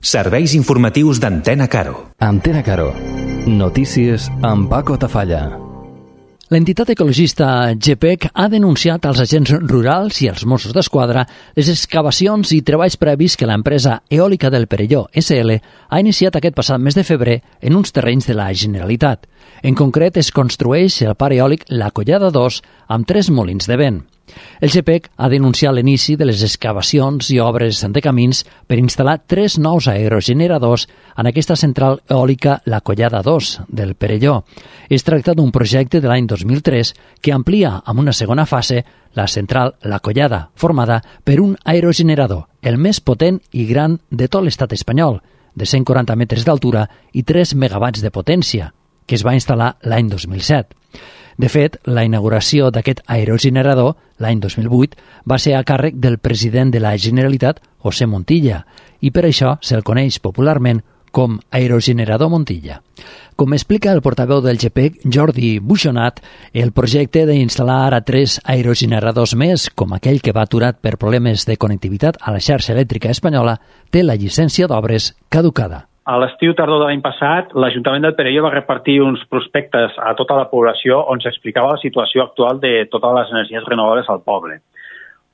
Serveis informatius d'Antena Caro. Antena Caro. Notícies amb Paco Tafalla. L'entitat ecologista GPEC ha denunciat als agents rurals i als Mossos d'Esquadra les excavacions i treballs previs que l'empresa eòlica del Perelló, SL, ha iniciat aquest passat mes de febrer en uns terrenys de la Generalitat. En concret, es construeix el parc eòlic La Collada 2 amb 3 molins de vent. El GPEC ha denunciat l'inici de les excavacions i obres de camins per instal·lar 3 nous aerogeneradors en aquesta central eòlica La Collada 2 del Perelló. Es tracta d'un projecte de l'any 2003 que amplia amb una segona fase la central La Collada, formada per un aerogenerador, el més potent i gran de tot l'estat espanyol, de 140 metres d'altura i 3 megawatts de potència, que es va instal·lar l'any 2007. De fet, la inauguració d'aquest aerogenerador, l'any 2008, va ser a càrrec del president de la Generalitat, José Montilla, i per això se'l coneix popularment com Aerogenerador Montilla. Com explica el portaveu del GPEC, Jordi Buixonat, el projecte d'instal·lar ara 3 aerogeneradors més, com aquell que va aturat per problemes de connectivitat a la xarxa elèctrica espanyola, té la llicència d'obres caducada. A l'estiu tardor de l'any passat, l'Ajuntament del Perelló va repartir uns prospectes a tota la població on s'explicava la situació actual de totes les energies renovables al poble.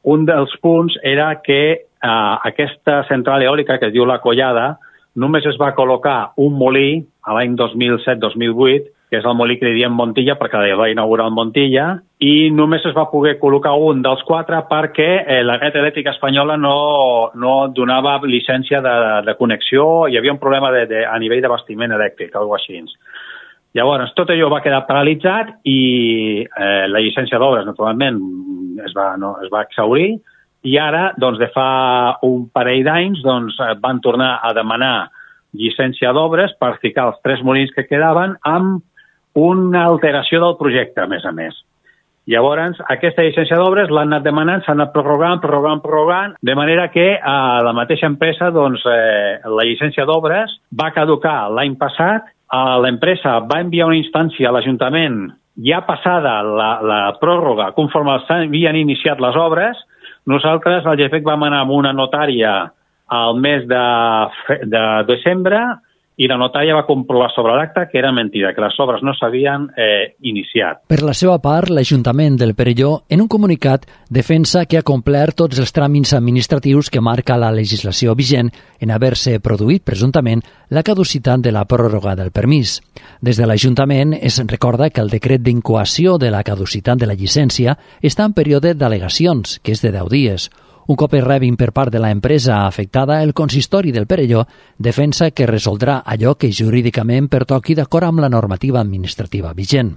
Un dels punts era que aquesta central eòlica que es diu La Collada només es va col·locar un molí a l'any 2007-2008, que és el molí que li diem Montilla perquè el va inaugurar el Montilla, i només es va poder col·locar un dels 4 perquè la red elèctrica espanyola no donava llicència de connexió, hi havia un problema a nivell d'abastiment elèctric, alguna cosa així. Llavors, tot allò va quedar paralitzat i la llicència d'obres, naturalment, es va exhaurir, i ara, doncs, de fa un parell d'anys, doncs, van tornar a demanar llicència d'obres per ficar els 3 molins que quedaven amb una alteració del projecte, a més. Llavors, aquesta llicència d'obres l'han anat demanant, s'han anat prorrogant, de manera que a la mateixa empresa, doncs, la llicència d'obres va caducar l'any passat, l'empresa va enviar una instància a l'Ajuntament ja passada la pròrroga, conforme s'havien iniciat les obres. Nosaltres, al GPEC, vam anar amb una notària al mes de desembre i la notària va comprovar sobre l'acte que era mentida, que les obres no s'havien iniciat. Per la seva part, l'Ajuntament del Perelló, en un comunicat, defensa que ha complert tots els tràmits administratius que marca la legislació vigent en haver-se produït, presumptament, la caducitat de la pròrroga del permís. Des de l'Ajuntament es recorda que el decret d'incoació de la caducitat de la llicència està en període d'al·legacions, que és de 10 dies. Un cop es rebin per part de l'empresa afectada, el consistori del Perelló defensa que resoldrà allò que jurídicament pertoqui d'acord amb la normativa administrativa vigent.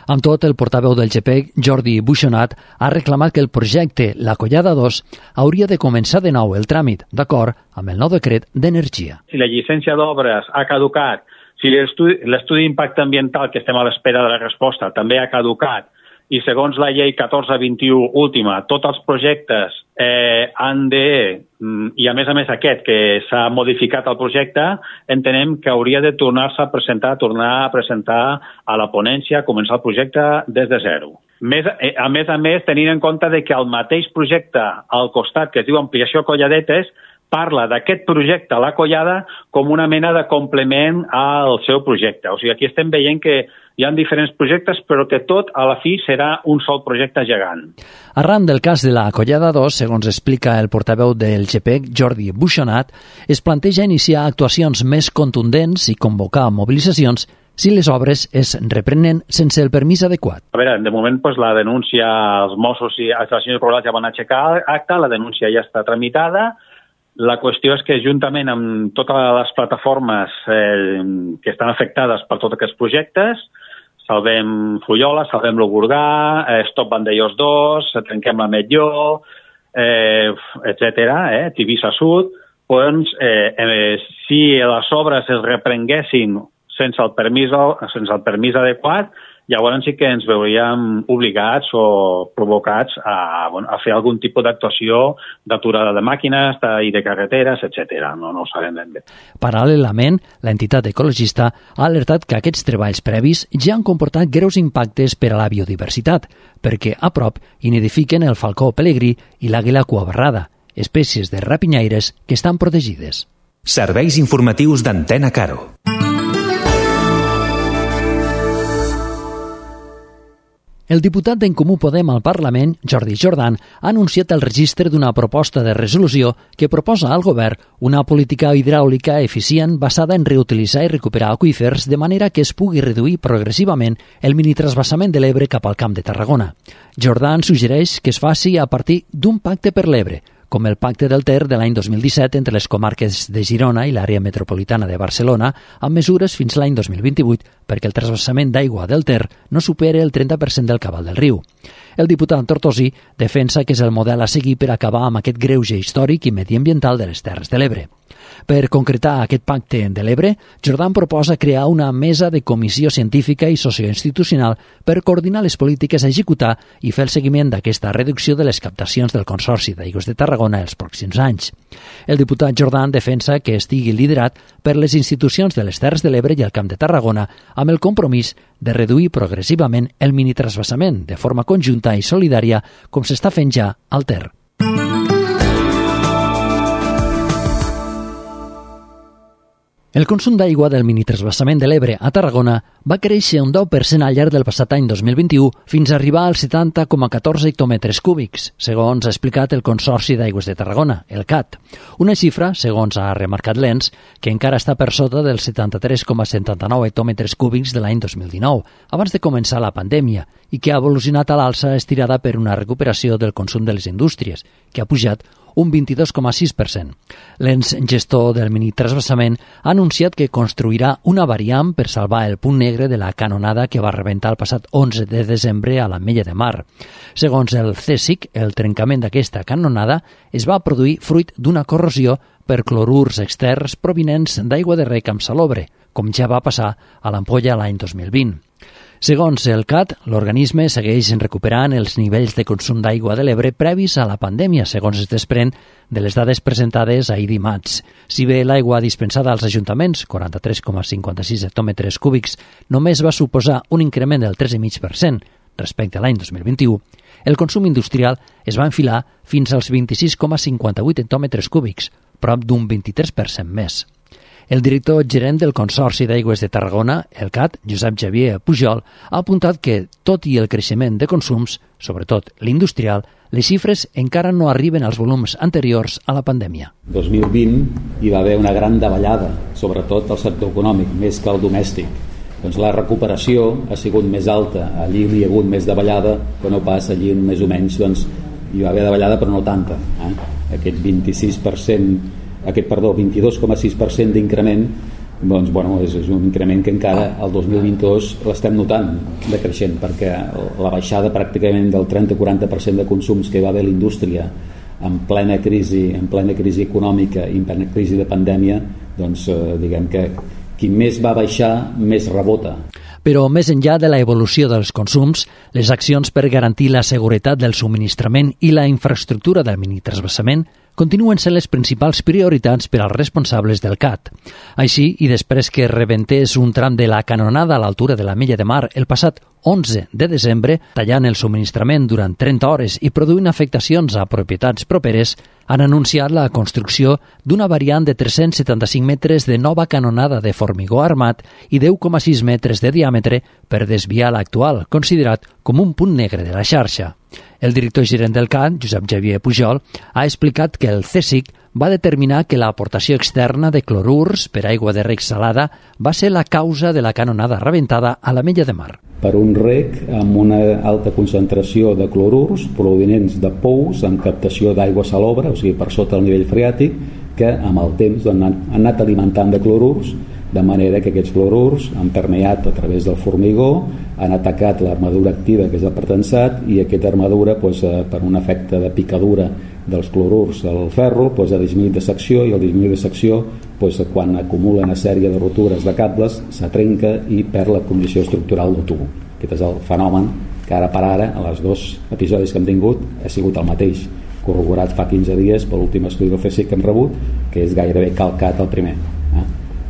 Amb tot, el portaveu del GPEC, Jordi Buixonat, ha reclamat que el projecte La Collada 2 hauria de començar de nou el tràmit, d'acord amb el nou decret d'energia. Si la llicència d'obres ha caducat, si l'estudi d'impacte ambiental, que estem a l'espera de la resposta, també ha caducat, i segons la llei 1421 última, tots els projectes han de, i a més aquest, que s'ha modificat el projecte, entenem que hauria de tornar a presentar a la ponència, començar el projecte des de zero. A més, tenint en compte que el mateix projecte al costat, que es diu Ampliació Colladetes, parla d'aquest projecte, La Collada, com una mena de complement al seu projecte. O sigui, aquí estem veient que hi ha diferents projectes, però que tot, a la fi, serà un sol projecte gegant. Arran del cas de La Collada 2, segons explica el portaveu del GPEC, Jordi Buixonat, es planteja iniciar actuacions més contundents i convocar mobilitzacions si les obres es reprenen sense el permís adequat. A veure, de moment, la denúncia, els Mossos i les estacions rurals ja van aixecar acte, la denúncia ja està tramitada. La qüestió és que, juntament amb totes les plataformes que estan afectades per tots aquests projectes, Salvem Fullola, Salvem Logurgà, Stop Vandellós 2, Trenquem la Metlló, etc., Tivissa Sud, doncs, si les obres es reprenguessin sense el permís adequat, llavors sí que ens veuríem obligats o provocats a fer algun tipus d'actuació d'aturada de màquines i de carreteres, etc. No ho sabem ben bé. Paral·lelament, l'entitat ecologista ha alertat que aquests treballs previs ja han comportat greus impactes per a la biodiversitat, perquè a prop hi nidifiquen el falcó pelegrí i l'àguila cuabarrada, espècies de rapinyaires que estan protegides. Serveis informatius d'Antena Caro. El diputat d'en Comú Podem al Parlament, Jordi Jordan, ha anunciat el registre d'una proposta de resolució que proposa al govern una política hidràulica eficient basada en reutilitzar i recuperar aqüífers de manera que es pugui reduir progressivament el minitransvasament de l'Ebre cap al Camp de Tarragona. Jordan suggereix que es faci a partir d'un pacte per l'Ebre, com el Pacte del Ter de l'any 2017 entre les comarques de Girona i l'àrea metropolitana de Barcelona, amb mesures fins l'any 2028 perquè el transvasament d'aigua del Ter no superi el 30% del cabal del riu. El diputat tortosí defensa que és el model a seguir per acabar amb aquest greuge històric i mediambiental de les Terres de l'Ebre. Per concretar aquest pacte de l'Ebre, Jordan proposa crear una mesa de comissió científica i socioinstitucional per coordinar les polítiques a executar i fer el seguiment d'aquesta reducció de les captacions del Consorci d'Aigües de Tarragona els pròxims anys. El diputat Jordan defensa que estigui liderat per les institucions de les Terres de l'Ebre i el Camp de Tarragona amb el compromís de reduir progressivament el minitransvasament de forma conjunta i solidària com s'està fent ja al Ter. El consum d'aigua del minitransvasament de l'Ebre a Tarragona va créixer un 10% al llarg del passat any 2021 fins a arribar als 70,14 hectòmetres cúbics, segons ha explicat el Consorci d'Aigües de Tarragona, el CAT. Una xifra, segons ha remarcat l'ENS, que encara està per sota dels 73,79 hectòmetres cúbics de l'any 2019, abans de començar la pandèmia, i que ha evolucionat a l'alça estirada per una recuperació del consum de les indústries, que ha pujat un 22,6%. L'ens gestor del minitransvasament ha anunciat que construirà una variant per salvar el punt negre de la canonada que va rebentar el passat 11 de desembre a l'Ametlla de Mar. Segons el CSIC, el trencament d'aquesta canonada es va produir fruit d'una corrosió per clorurs externs provinents d'aigua de rec amb salobre, com ja va passar a l'Ampolla l'any 2020. Segons el CAT, l'organisme segueix recuperant els nivells de consum d'aigua de l'Ebre previs a la pandèmia, segons es desprèn de les dades presentades ahir dimarts. Si bé l'aigua dispensada als ajuntaments, 43,56 hectòmetres cúbics, només va suposar un increment del 3,5% respecte a l'any 2021, el consum industrial es va enfilar fins als 26,58 hectòmetres cúbics, prop d'un 23% més. El director gerent del Consorci d'Aigües de Tarragona, el CAT, Josep Xavier Pujol, ha apuntat que, tot i el creixement de consums, sobretot l'industrial, les xifres encara no arriben als volums anteriors a la pandèmia. 2020 hi va haver una gran davallada, sobretot al sector econòmic, més que al domèstic. Doncs la recuperació ha sigut més alta, allí hi ha hagut més davallada, que no pas allí més o menys hi va haver davallada però no tanta. Aquest 22,6% d'increment, doncs, és un increment que encara el 2022 l'estem notant decreixent, perquè la baixada pràcticament del 30-40% de consums que hi va haver a la indústria en plena crisi econòmica i en plena crisi de pandèmia, doncs diguem que qui més va baixar, més rebota. Però més enllà de la evolució dels consums, les accions per garantir la seguretat del subministrament i la infraestructura del minitransvasament continuen sent les principals prioritats per als responsables del CAT. Així, i després que rebentés un tram de la canonada a l'altura de l'Ametlla de Mar el passat 11 de desembre, tallant el subministrament durant 30 hores i produint afectacions a propietats properes, han anunciat la construcció d'una variant de 375 metres de nova canonada de formigó armat i 10,6 metres de diàmetre per desviar l'actual, considerat com un punt negre de la xarxa. El director gerent del CAT, Josep Xavier Pujol, ha explicat que el CSIC va determinar que l'aportació externa de clorurs per aigua de rec salada va ser la causa de la canonada rebentada a l'Ametlla de Mar. Per un rec amb una alta concentració de clorurs provinents de pous amb captació d'aigua salobre, o sigui per sota del nivell freàtic, que amb el temps han anat alimentant de clorurs, de manera que aquests clorurs han permeat a través del formigó, han atacat l'armadura activa, que és el pretensat, i aquesta armadura, per un efecte de picadura dels clorurs al ferro, ha disminuït de secció, i el disminuït de secció, quan acumula una sèrie de rotures de cables, se trenca i perd la condició estructural del tub. Aquest és el fenomen que ara per ara, a els dos episodis que hem tingut, ha sigut el mateix, corroborat fa 15 dies per l'últim estudi del CSIC que hem rebut, que és gairebé calcat el primer.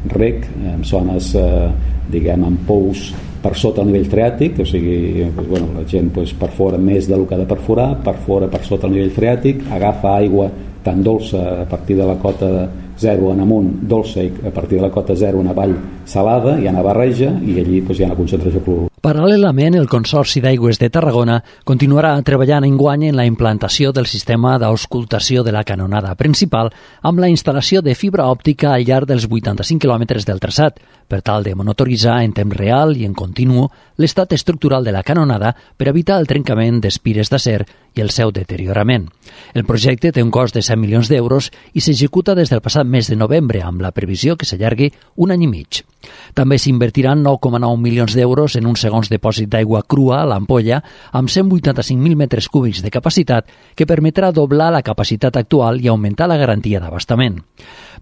Rec, en zones, amb pous per sota el nivell freàtic, o sigui, la gent perfora més del que ha de perforar, perfora per sota el nivell freàtic, agafa aigua tan dolça a partir de la cota 0 en amunt dolça i a partir de la cota 0 en avall salada, hi ha una barreja i allí hi ha una concentració de clorur. Paral·lelament, el Consorci d'Aigües de Tarragona continuarà treballant enguany en la implantació del sistema d'auscultació de la canonada principal amb la instal·lació de fibra òptica al llarg dels 85 quilòmetres del traçat, per tal de monitoritzar en temps real i en continu l'estat estructural de la canonada per evitar el trencament d'espires d'acer i el seu deteriorament. El projecte té un cost de 100 milions d'euros i s'executa des del passat mes de novembre, amb la previsió que s'allargui un any i mig. També s'invertiran 9,9 milions d'euros en un segons dipòsit d'aigua crua a l'Ampolla amb 185.000 metres cúbics de capacitat que permetrà doblar la capacitat actual i augmentar la garantia d'abastament.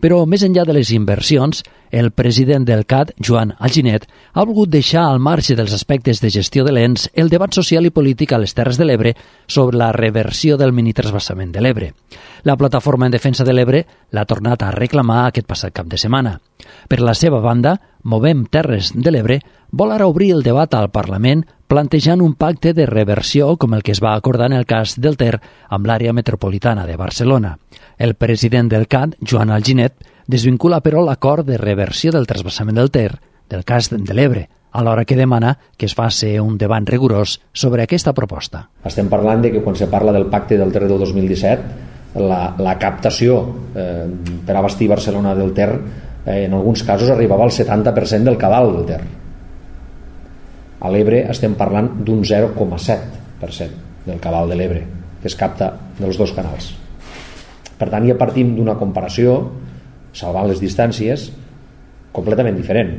Però més enllà de les inversions, el president del CAT, Joan Alginet, ha volgut deixar al marge dels aspectes de gestió de l'ENS el debat social i polític a les Terres de l'Ebre sobre la reversió del minitransvasament de l'Ebre. La plataforma en defensa de l'Ebre l'ha tornat a reclamar aquest passat cap de setmana. Per la seva banda, Movem Terres de l'Ebre vol ara obrir el debat al Parlament plantejant un pacte de reversió com el que es va acordar en el cas del Ter amb l'àrea metropolitana de Barcelona. El president del CAT, Joan Alginet, desvincula però l'acord de reversió del transvasament del Ter del cas de l'Ebre, alhora que demana que es faci un debat rigorós sobre aquesta proposta. Estem parlant de que quan se parla del pacte del Ter del 2017, la captació per abastir Barcelona del Ter en alguns casos arribava al 70% del cabal del Ter. A l'Ebre estem parlant d'un 0,7% del cabal de l'Ebre que es capta dels dos canals. Per tant, ja partim d'una comparació, salvant les distàncies, completament diferent.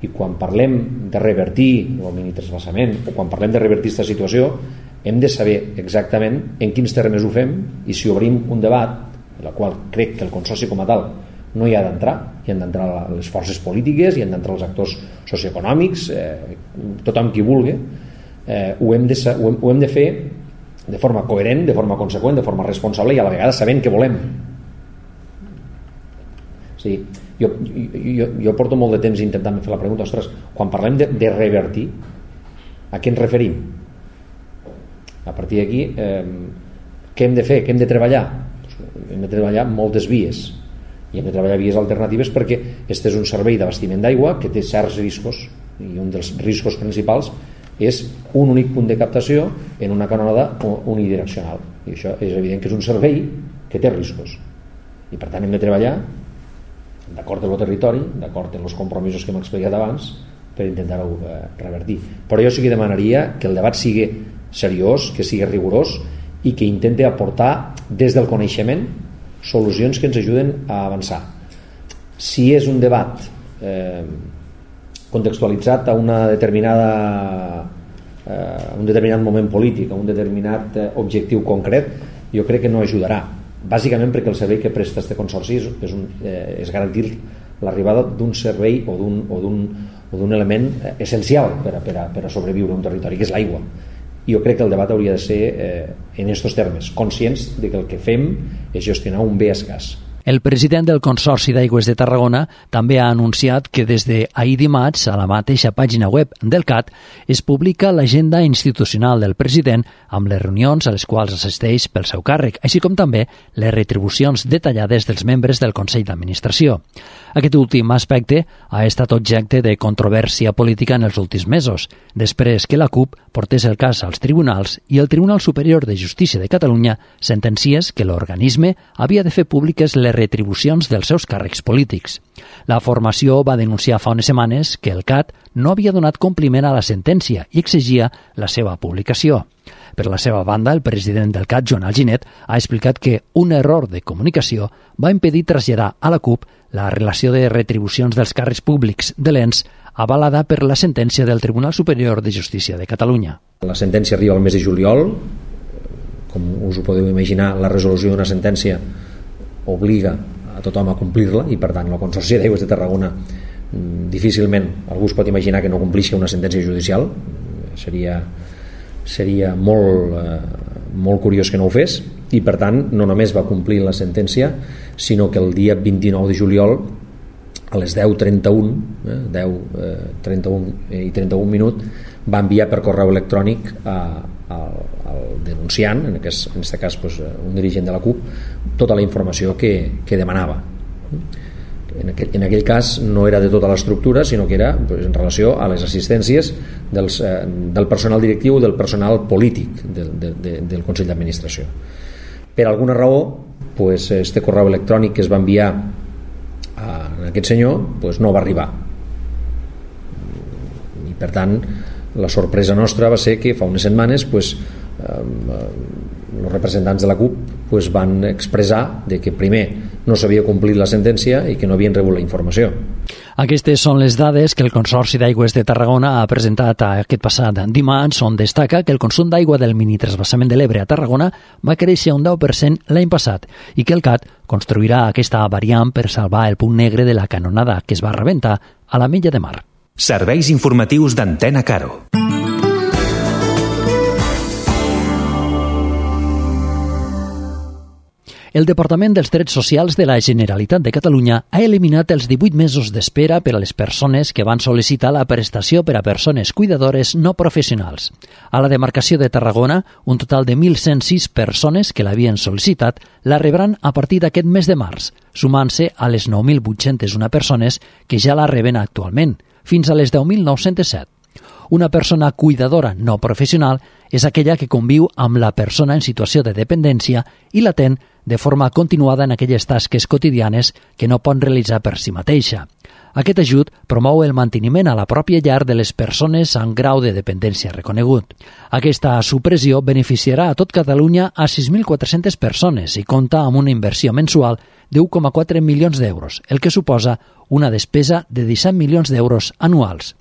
I quan parlem de revertir el minitransvasament o quan parlem de revertir aquesta situació, hem de saber exactament en quins termes ho fem i si obrim un debat, en el qual crec que el Consorci com a tal no hi ha d'entrar, hi han d'entrar les forces polítiques, hi han d'entrar els actors socioeconòmics, tothom qui vulgui, ho hem de fer de forma coherent, de forma conseqüent, de forma responsable i a la vegada sabent què volem. Sí, jo porto molt de temps intentant fer la pregunta, ostres, quan parlem de revertir, a què ens referim? A partir d'aquí, què hem de fer? Què hem de treballar? Hem de treballar moltes vies i hem de treballar vies alternatives perquè este és un servei d'abastiment d'aigua que té certs riscos i un dels riscos principals és un únic punt de captació en una canonada unidireccional i això és evident que és un servei que té riscos i per tant hem de treballar d'acord amb el territori, d'acord amb els compromisos que hem explicat abans per intentar-ho revertir. Però jo sí que demanaria que el debat sigui seriós, que sigui rigorós i que intenti aportar des del coneixement solucions que ens ajuden a avançar. Si és un debat contextualitzat a un determinat moment polític, a un determinat objectiu concret, jo crec que no ajudarà, bàsicament perquè el servei que presta este consorci és garantir l'arribada d'un servei o d'un element essencial per a sobreviure a un territori, que és l'aigua. Jo crec que el debat hauria de ser en aquests termes, conscients de que el que fem és gestionar un bé escàs. El president del Consorci d'Aigües de Tarragona també ha anunciat que des d'ahir dimarts, a la mateixa pàgina web del CAT, es publica l'agenda institucional del president amb les reunions a les quals assisteix pel seu càrrec, així com també les retribucions detallades dels membres del Consell d'Administració. Aquest últim aspecte ha estat objecte de controvèrsia política en els últims mesos, després que la CUP portés el cas als tribunals i el Tribunal Superior de Justícia de Catalunya sentenciés que l'organisme havia de fer públiques les retribucions dels seus càrrecs polítics. La formació va denunciar fa unes setmanes que el CAT no havia donat compliment a la sentència i exigia la seva publicació. Per la seva banda, el president del CAT, Joan Alginet, ha explicat que un error de comunicació va impedir traslladar a la CUP la relació de retribucions dels càrrecs públics de l'ENS avalada per la sentència del Tribunal Superior de Justícia de Catalunya. La sentència arriba al mes de juliol. Com us ho podeu imaginar, la resolució d'una sentència obliga a tothom a complir-la i per tant el Consorci d'Aigües de Tarragona difícilment algú es pot imaginar que no complixi una sentència judicial. Seria molt curiós que no ho fes i per tant no només va complir la sentència sinó que el dia 29 de juliol a les 10:31 i 31 minuts va enviar per correu electrònic a al denunciant, en aquest cas pues, un dirigent de la CUP, tota la informació que demanava. En aquell cas no era de tota l'estructura, sinó que era pues, en relació a les assistències del personal directiu i del personal polític del Consell d'Administració. Per alguna raó, pues, este correu electrònic que es va enviar a aquest senyor pues, no va arribar. I per tant, la sorpresa nostra va ser que fa unes setmanes pues, els representants de la CUP pues, van expressar de que primer no s'havia complit la sentència i que no havien rebut la informació. Aquestes són les dades que el Consorci d'Aigües de Tarragona ha presentat aquest passat dimarts, on destaca que el consum d'aigua del minitransvasament de l'Ebre a Tarragona va créixer un 10% l'any passat i que el CAT construirà aquesta variant per salvar el punt negre de la canonada que es va rebentar a la Mella de Mar. Serveis informatius d'Antena Caro. El Departament dels Drets Socials de la Generalitat de Catalunya ha eliminat els 18 mesos d'espera per a les persones que van sol·licitar la prestació per a persones cuidadores no professionals. A la demarcació de Tarragona, un total de 1.106 persones que l'havien sol·licitat la rebran a partir d'aquest mes de març, sumant-se a les 9.801 persones que ja la reben actualment, fins a les 10.907. Una persona cuidadora no professional és aquella que conviu amb la persona en situació de dependència i l'atén de forma continuada en aquelles tasques quotidianes que no pot realitzar per si mateixa. Aquest ajut promou el manteniment a la pròpia llar de les persones amb grau de dependència reconegut. Aquesta supressió beneficiarà a tot Catalunya a 6.400 persones i compta amb una inversió mensual de 1,4 milions d'euros, el que suposa una despesa de 17 milions d'euros anuals.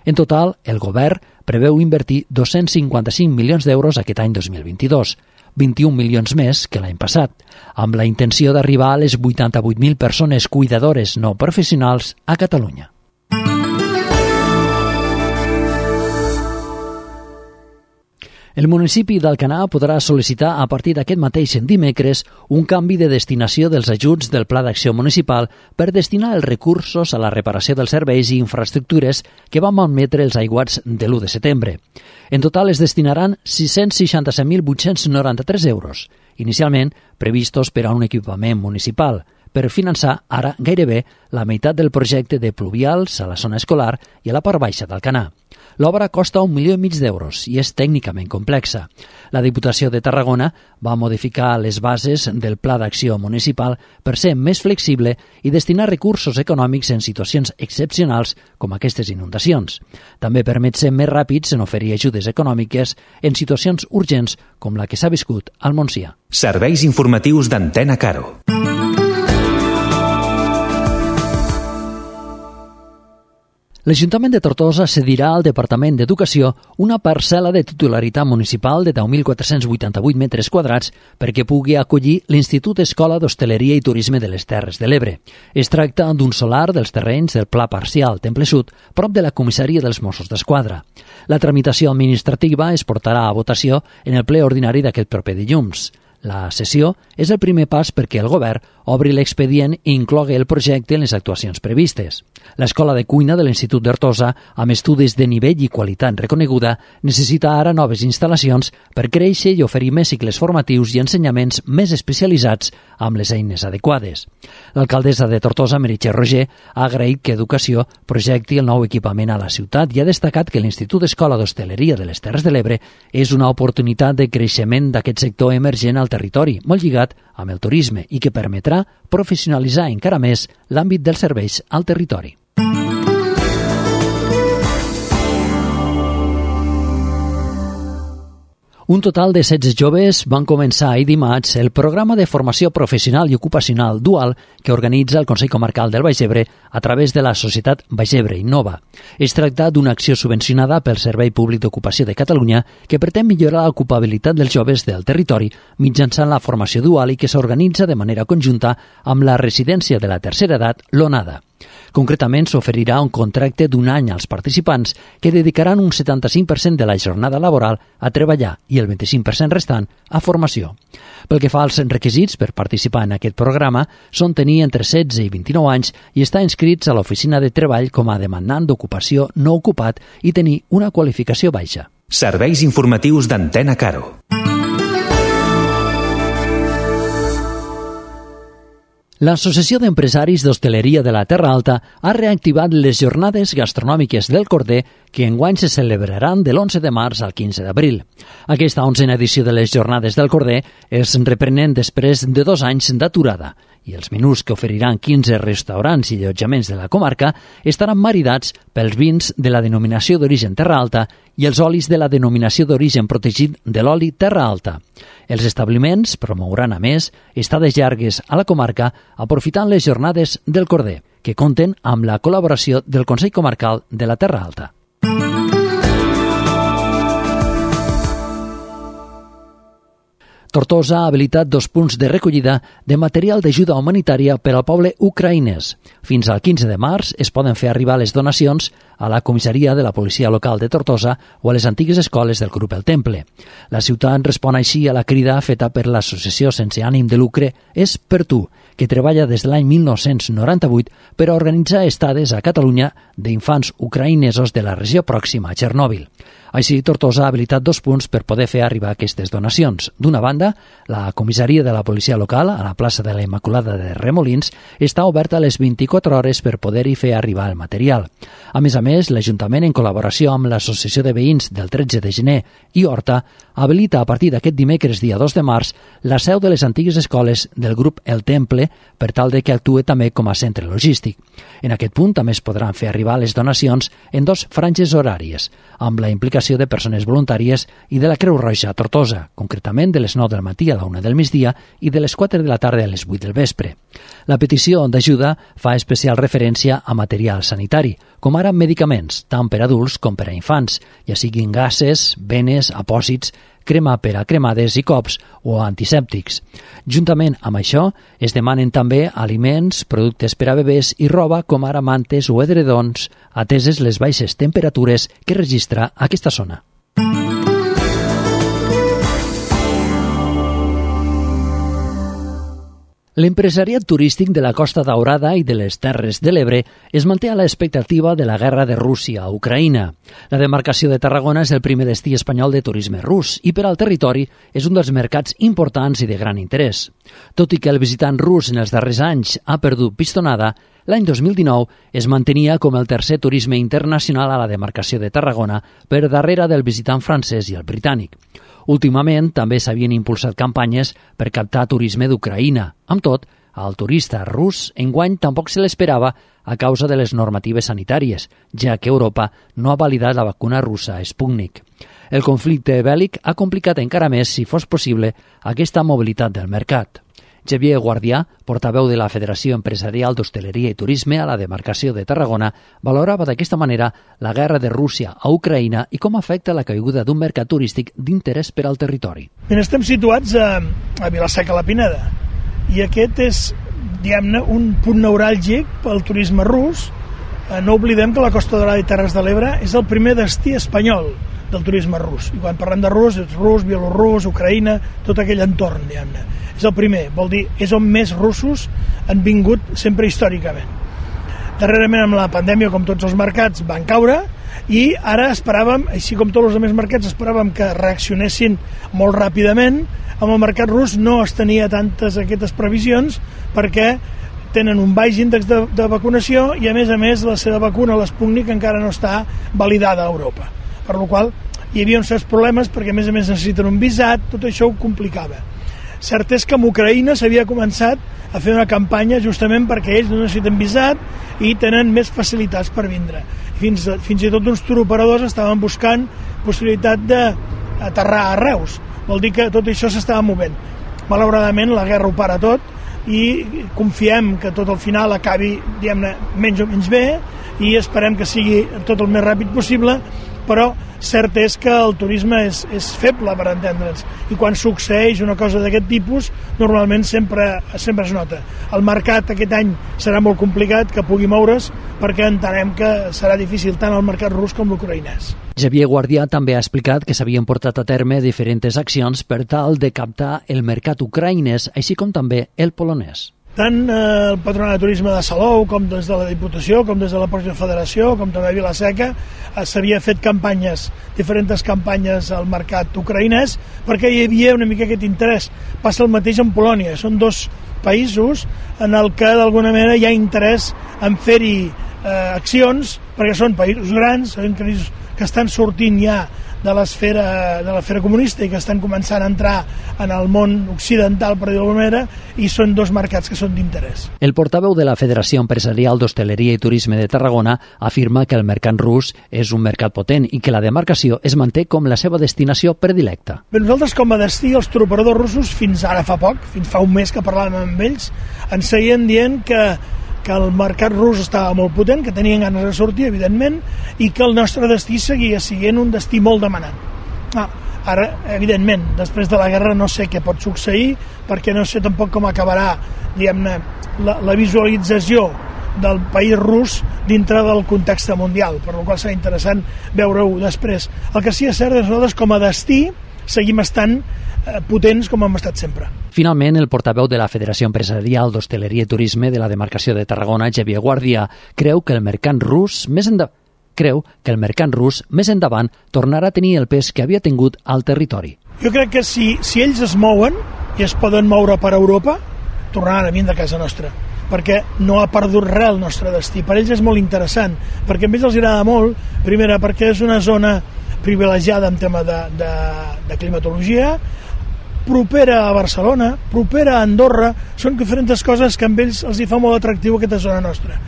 En total, el govern preveu invertir 255 milions d'euros aquest any 2022, 21 milions més que l'any passat, amb la intenció d'arribar a les 88.000 persones cuidadores no professionals a Catalunya. El municipi d'Alcanar podrà sol·licitar a partir d'aquest mateix dimecres un canvi de destinació dels ajuts del Pla d'Acció Municipal per destinar els recursos a la reparació dels serveis i infraestructures que van malmetre els aiguats de l'1 de setembre. En total es destinaran 667.893 euros, inicialment previstos per a un equipament municipal, per finançar ara gairebé la meitat del projecte de pluvials a la zona escolar i a la part baixa d'Alcanar. L'obra costa 1,5 milió d'euros i és tècnicament complexa. La Diputació de Tarragona va modificar les bases del Pla d'Acció Municipal per ser més flexible i destinar recursos econòmics en situacions excepcionals com aquestes inundacions. També permet ser més ràpids en oferir ajudes econòmiques en situacions urgents com la que s'ha viscut al Montsià. Serveis informatius d'Antena Caro. L'Ajuntament de Tortosa cedirà al Departament d'Educació una parcel·la de titularitat municipal de 10.488 metres quadrats perquè pugui acollir l'Institut Escola d'Hostaleria i Turisme de les Terres de l'Ebre. Es tracta d'un solar dels terrenys del Pla Parcial Temple Sud, prop de la comissaria dels Mossos d'Esquadra. La tramitació administrativa es portarà a votació en el ple ordinari d'aquest proper dilluns. La sessió és el primer pas perquè el govern obri l'expedient i inclogui el projecte en les actuacions previstes. L'escola de cuina de l'Institut d'Hortosa, amb estudis de nivell i qualitat reconeguda, necessita ara noves instal·lacions per créixer i oferir més cicles formatius i ensenyaments més especialitzats amb les eines adequades. L'alcaldessa de Tortosa, Meritxell Roger, ha agraït que Educació projecti el nou equipament a la ciutat i ha destacat que l'Institut Escola d'Hostaleria de les Terres de l'Ebre és una oportunitat de creixement d'aquest sector emergent al territori, molt lligat amb el turisme i que permetrà professionalitzar encara més l'àmbit dels serveis al territori. Un total de 16 joves van començar ahir dimarts el programa de formació professional i ocupacional dual que organitza el Consell Comarcal del Baix Ebre a través de la societat Baix Ebre Innova. Es tracta d'una acció subvencionada pel Servei Públic d'Ocupació de Catalunya que pretén millorar l'ocupabilitat dels joves del territori mitjançant la formació dual i que s'organitza de manera conjunta amb la residència de la tercera edat, l'ONADA. Concretament, s'oferirà un contracte d'un any als participants que dedicaran un 75% de la jornada laboral a treballar i el 25% restant a formació. Pel que fa als requisits per participar en aquest programa, són tenir entre 16 i 29 anys i estar inscrits a l'oficina de treball com a demandant d'ocupació no ocupat i tenir una qualificació baixa. Serveis informatius d'Antena Caro. L'Associació d'Empresaris d'Hostaleria de la Terra Alta ha reactivat les jornades gastronòmiques del Corder que enguany se celebraran de l'11 de març al 15 d'abril. Aquesta 11a edició de les jornades del Corder es reprenen després de 2 anys d'aturada i els menús que oferiran 15 restaurants i allotjaments de la comarca estaran maridats pels vins de la denominació d'origen Terra Alta i els olis de la denominació d'origen protegit de l'oli Terra Alta. Els establiments promouran, a més, estades llargues a la comarca aprofitant les jornades del Corder, que compten amb la col·laboració del Consell Comarcal de la Terra Alta. Tortosa ha habilitat 2 punts de recollida de material d'ajuda humanitària per al poble ucraïnès. Fins al 15 de març es poden fer arribar les donacions a la comissaria de la policia local de Tortosa o a les antigues escoles del grup El Temple. La ciutat respon així a la crida feta per l'associació sense ànim de lucre És per tu, que treballa des de l'any 1998 per a organitzar estades a Catalunya d'infants ucraïnesos de la regió pròxima a Txernòbil. Així, Tortosa ha habilitat 2 punts per poder fer arribar aquestes donacions. D'una banda, la comissaria de la policia local, a la plaça de la Immaculada de Remolins, està oberta a les 24 hores per poder-hi fer arribar el material. A més, l'Ajuntament, en col·laboració amb l'Associació de Veïns del 13 de gener i Horta, habilita a partir d'aquest dimecres, dia 2 de març, la seu de les antigues escoles del grup El Temple per tal de que actuï també com a centre logístic. En aquest punt també es podran fer arribar les donacions en 2 franges horàries, amb la implicació de persones voluntàries i de la Creu Roja a Tortosa, concretament de les 9 del matí a la 1 del migdia i de les 4 de la tarda a les 8 del vespre. La petició d'ajuda fa especial referència a material sanitari, com ara medicaments, tant per adults com per a infants, ja siguin gases, venes, apòsits, crema per a cremades i cops o antisèptics. Juntament amb això, es demanen també aliments, productes per a bebès i roba com ara mantes o edredons, ateses les baixes temperatures que registra aquesta zona. L'empresariat turístic de la Costa Daurada i de les Terres de l'Ebre es manté a l'expectativa de la guerra de Rússia a Ucraïna. La demarcació de Tarragona és el primer destí espanyol de turisme rus i per al territori és un dels mercats importants i de gran interès. Tot i que el visitant rus en els darrers anys ha perdut pistonada, l'any 2019 es mantenia com el tercer turisme internacional a la demarcació de Tarragona per darrere del visitant francès i el britànic. Últimament també s'havien impulsat campanyes per captar turisme d'Ucraïna. Amb tot, al turista rus enguany tampoc se l'esperava a causa de les normatives sanitàries, ja que Europa no ha validat la vacuna russa Sputnik. El conflicte bèl·lic ha complicat encara més, si fos possible, aquesta mobilitat del mercat. Xavier Guardià, portaveu de la Federació Empresarial d'Hostaleria i Turisme a la demarcació de Tarragona, valorava d'aquesta manera la guerra de Rússia a Ucraïna i com afecta la caiguda d'un mercat turístic d'interès per al territori. Estem situats a Vila-seca-la-Pineda i aquest és, diguem-ne, un punt neuràlgic pel turisme rus. No oblidem que la Costa Daurada i Terres de l'Ebre és el primer destí espanyol del turisme rus. I quan parlem de rus, és rus, bielorrus, Ucraïna, tot aquell entorn, diguem-ne. És el primer, vol dir, és on més russos han vingut sempre històricament. Darrerament amb la pandèmia, com tots els mercats, van caure i ara esperàvem, així com tots els altres mercats, esperàvem que reaccionessin molt ràpidament. Amb el mercat rus no es tenia tantes aquestes previsions perquè tenen un baix índex de vacunació i a més la seva vacuna, l'Sputnik, encara no està validada a Europa. Per la qual hi havia uns certs problemes perquè a més necessiten un visat, tot això ho complicava. Cert és que amb Ucraïna s'havia començat a fer una campanya justament perquè ells no necessiten visat i tenen més facilitats per vindre. Fins i tot uns turoperadors estaven buscant possibilitat d'aterrar a Reus. Vol dir que tot això s'estava movent. Malauradament la guerra ho para tot i confiem que tot al final acabi, diguem-ne, menys o menys bé i esperem que sigui tot el més ràpid possible, però cert és que el turisme és feble, per entendre'ns, i quan succeeix una cosa d'aquest tipus normalment sempre es nota. El mercat aquest any serà molt complicat que pugui moure's perquè entenem que serà difícil tant el mercat rus com l'ucraïnès. Xavier Guardià també ha explicat que s'havien portat a terme diferents accions per tal de captar el mercat ucraïnès, així com també el polonès. tant el Patronat de Turisme de Salou, com des de la Diputació, com des de la pròpia Federació, com també a Vila-seca, s'havia fet diferents campanyes al mercat ucraïnès, perquè hi havia una mica aquest interès. Passa el mateix en Polònia, són dos països en el que d'alguna manera hi ha interès en fer-hi accions, perquè són països grans, que estan sortint ja de l'esfera comunista i que estan començant a entrar en el món occidental, per dir-ho d'alguna manera, i són dos mercats que són d'interès. El portaveu de la Federació Empresarial d'Hostaleria i Turisme de Tarragona afirma que el mercat rus és un mercat potent i que la demarcació es manté com la seva destinació predilecta. Bé, nosaltres com a destí, els turoperadors russos, fins ara fa poc, fins fa un mes que parlàvem amb ells, ens seguien dient que el mercat rus estava molt potent, que tenien ganes de sortir, evidentment, i que el nostre destí seguia sent un destí molt demanat. Ara, evidentment, després de la guerra no sé què pot succeir, perquè no sé tampoc com acabarà, diguem-ne, la visualització del país rus dintre del context mundial, per la qual serà interessant veure-ho després. El que sí és cert és que nosaltres com a destí seguim estant potents com hem estat sempre. Finalment, el portaveu de la Federació Empresarial d'Hostaleria i Turisme de la demarcació de Tarragona, Xavier Guàrdia, creu que el mercat rus més endavant tornarà a tenir el pes que havia tingut al territori. Jo crec que si ells es mouen i es poden moure per Europa, tornaran a vindre a casa nostra, perquè no ha perdut res el nostre destí. Per ells és molt interessant, perquè a ells els agrada molt, primera, perquè és una zona privilegiada en tema de climatologia, propera a Barcelona, propera a Andorra, són diferents coses que amb ells els hi fa molt atractiu aquesta zona nostra.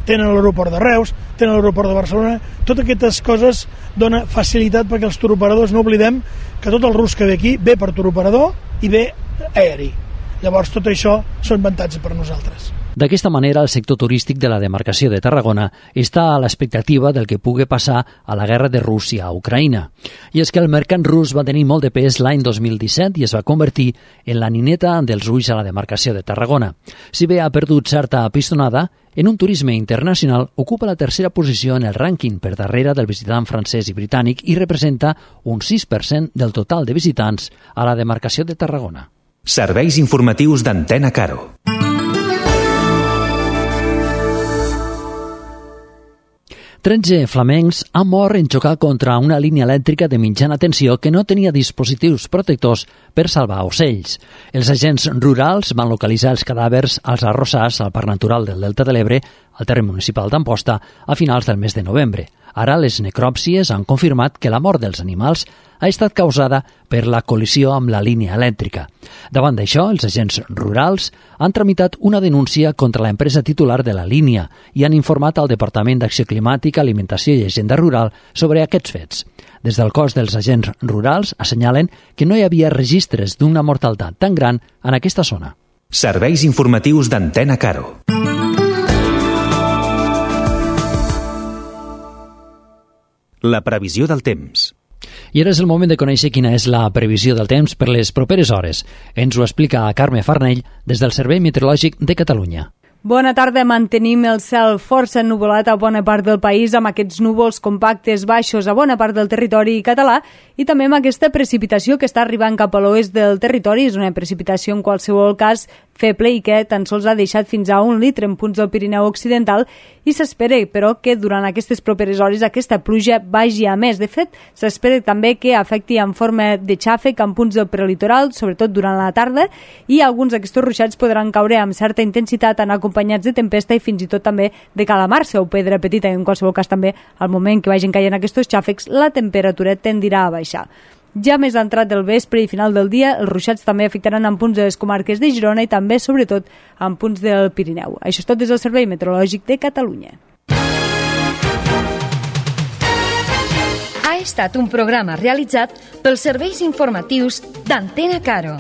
Tenen l'aeroport de Reus, tenen l'aeroport de Barcelona, totes aquestes coses dona facilitat perquè els turoperadors, no oblidem que tot el rus que ve aquí ve per turoperador i ve aeri. Llavors tot això són avantatges per nosaltres. D'aquesta manera, el sector turístic de la demarcació de Tarragona està a l'expectativa del que pugui passar a la guerra de Rússia a Ucraïna. I és que el mercat rus va tenir molt de pes l'any 2017 i es va convertir en la nineta dels ulls a la demarcació de Tarragona. Si bé ha perdut certa pistonada, en un turisme internacional ocupa la tercera posició en el rànquing per darrere del visitant francès i britànic i representa un 6% del total de visitants a la demarcació de Tarragona. Serveis informatius d'Antena Caro. Tretze flamencs han mort en xocar contra una línia elèctrica de mitjana tensió que no tenia dispositius protectors per salvar ocells. Els agents rurals van localitzar els cadàvers als arrossars al Parc Natural del Delta de l'Ebre, al terme municipal d'Amposta, a finals del mes de novembre. Ara les necròpsies han confirmat que la mort dels animals ha estat causada per la col·lisió amb la línia elèctrica. Davant d'això, els agents rurals han tramitat una denúncia contra l'empresa titular de la línia i han informat al Departament d'Acció Climàtica, Alimentació i Agenda Rural sobre aquests fets. Des del cos dels agents rurals assenyalen que no hi havia registres d'una mortalitat tan gran en aquesta zona. Serveis informatius d'Antena Caro. La previsió del temps. I ara és el moment de conèixer quina és la previsió del temps per les properes hores. Ens ho explica Carme Farnell des del Servei Meteorològic de Catalunya. Bona tarda. Mantenim el cel força ennuvolat a bona part del país, amb aquests núvols compactes baixos a bona part del territori català i també amb aquesta precipitació que està arribant cap a l'oest del territori. És una precipitació en qualsevol cas feble i que tan sols ha deixat fins a 1 litre en punts del Pirineu Occidental i s'espera, però, que durant aquestes properes hores aquesta pluja vagi a més. De fet, s'espera també que afecti en forma de xàfec en punts del prelitoral, sobretot durant la tarda, i alguns d'aquests ruixats podran caure amb certa intensitat, en acompanyats de tempesta i fins i tot també de calamarsa o pedra petita. En qualsevol cas també, al moment que vagin caient aquests xàfecs, la temperatura tendirà a baixar. Ja més entrat del vespre i final del dia, els ruixats també afectaran en punts de les comarques de Girona i també, sobretot, en punts del Pirineu. Això és tot des del Servei Meteorològic de Catalunya. Ha estat un programa realitzat pels serveis informatius d'Antena Caro.